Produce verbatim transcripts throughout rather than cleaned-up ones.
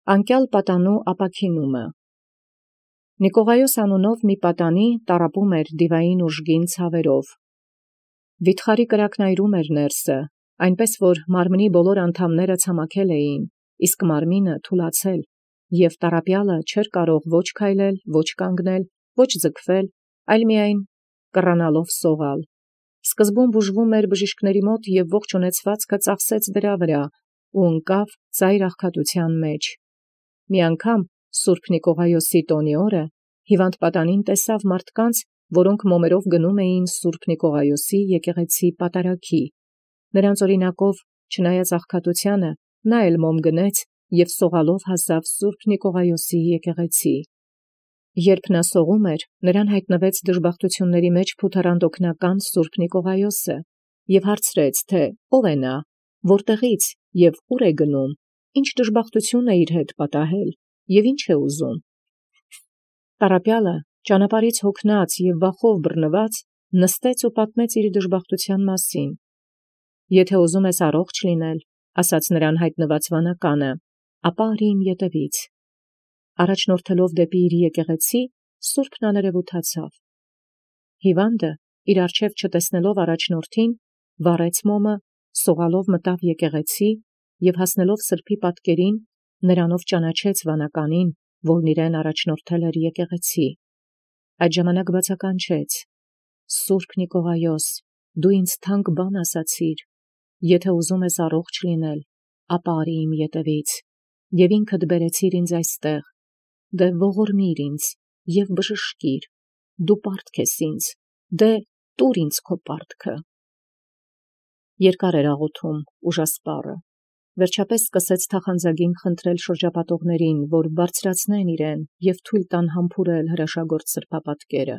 Անկյալ պատանու ապաքինումը։ Նիկողայոս անունով մի պատանի տառապում էր դիվային ուժգին ցաւերով։ Վիթխարի կրակն այրում էր ներսը, այնպէս որ մարմնի բոլոր անդամները ցամաքել էին, իսկ մարմինը թուլացել, և տառապեալը չէր կարող ոչ քայլել, ոչ կանգնել, ոչ ձգվել, այլ միայն կռանալով սողալ։ Սկզբում բուժվում էր բժիշկաց մոտ և ողջ ունեցվածքը ծախսեց դրա վրա, ու ընկավ ծայր աղքատութեան մեջ։ Մի անգամ սուրբ Նիկողայոսի տօնի օրը հիւանդ պատանին տեսավ մարդկանց, որոնք մոմերով գնում էին սուրբ Նիկողայոսի եկեղեցի պատարագի։ Նրանց օրինակով, չնայած աղքատութեանը, նա էլ մոմ գնեց և սողալով հասավ սուրբ Նիկողայոսի եկեղեցի։ Երբ նա սողում էր, նրան յայտնվեց դժբախտութիւնացն մեջ փութառանդ օգնական սուրբ Նիկողայոսը, և հարցրեց, թէ ո՛վ է նա, որտեղից և ուր է գնում, ինչ դժբախտութիւն է իր հետ պատահել, և ի՛նչ է ուզում։ Տառապեալը ճանապարհից հոգնած և վախով բռնված նստեց ու պատմեց իր դժբախտութեան մասին։ «Եթէ ուզում ես առողջ լինել, – ասաց նրան յայտնված վանականը, – ապա արի իմ ետևից»։ Առաջնորդելով դեպի իր եկեղեցի, սուրբն աներևութացավ։ Հիւանդը իր առջև չտեսնելով առաջնորդին, վառեց մոմը, սողալով մտավ եկեղեցի և հասնելով սրբոյ պատկերին, նրանով ճանաչեց վանականին, որն իրեն առաջնորդել էր եկեղեցի։ Այդ ժամանակ բացականչեց. «Սուրբ Նիկողայոս, դու ինձ թանկ բան ասացիր. եթէ ուզում ես առողջ լինել, ապա արի իմ ետևից, և ինքդ բերեցիր ինձ այստեղ. դէ ողորմիր ինձ և բժշկիր, դու պարտք ես ինձ, դէ տուր ինձ քո պարտքը»։ Երկար էր աղոթում ուժասպառը, վերջապէս սկսեց թախանձագին խնդրել շրջապատողացն, որ բարձրացնեն իրեն և թույլ տան համբուրել հրաշագործ սրբապատկերը։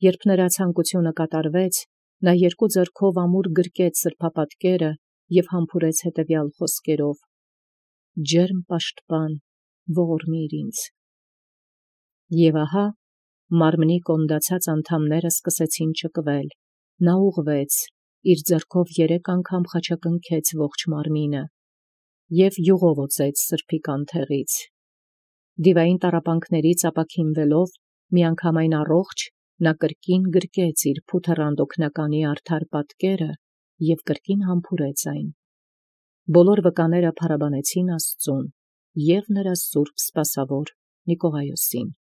Երբ նրա ցանկութիւնը կատարվեց, նա երկու ձեռքով ամուր գրկեց սրբապատկերը և համբուրեց հետևյալ խօսքերով. «Ջերմ պաշտպան, ողորմիր ինձ»։ Եւ ահա մարմնի կոնդացած անդամները սկսեցին ճկվել, նա ուղղվեց, իր ձեռքով երեք անգամ խաչակնքեց ողջ մարմինը և յուղով օծեց սրբոյ կանթեղից։ Դիվային տառապանքներից ապաքինվելով, միանգամայն առողջ, նա կրկին գրկեց իր փութառանդ օգնականի արդար պատկերը և կրկին համբուրեց այն։ Բոլոր վկաները փառաբանեցին Աստուծոյ և նրա սուրբ սպասաւոր Նիկողայոսին։